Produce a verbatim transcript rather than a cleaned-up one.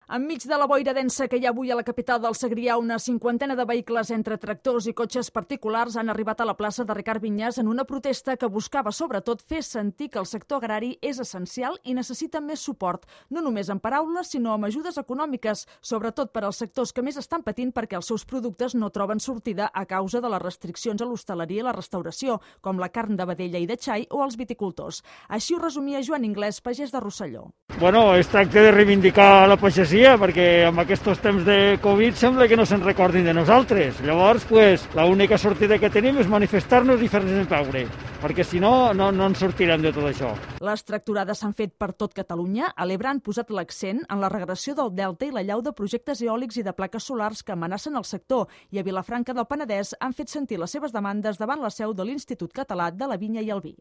Enmig de la boira densa que hi ha avui a la capital del Segrià, una cinquantena de vehicles entre tractors i cotxes particulars han arribat a la plaça de Ricard Vinyes en una protesta que buscava sobretot fer sentir que el sector agrari és essencial i necessita més suport, no només amb paraules, sinó amb ajudes econòmiques, sobretot per als sectors que més estan patint perquè els seus productes no troben sortida a causa de les restriccions a l'hostaleria i la restauració, com la carn de vedella i de xai o els viticultors. Així ho resumia Joan Inglés, pagès de Rosselló. Bueno, es tracta de reivindicar la pagesia, perquè amb aquests temps de Covid sembla que no se'n recordin de nosaltres. Llavors, pues, l'única sortida que tenim és manifestar-nos i fer-nos veure, perquè si no, no, no ens sortirem de tot això. Les tracturades s'han fet per tot Catalunya. A l'Ebre han posat l'accent en la regressió del delta i l'allau de projectes eòlics i de plaques solars que amenacen el sector, i a Vilafranca del Penedès han fet sentir les seves demandes davant la seu de l'Institut Català de la Vinya i el Vi.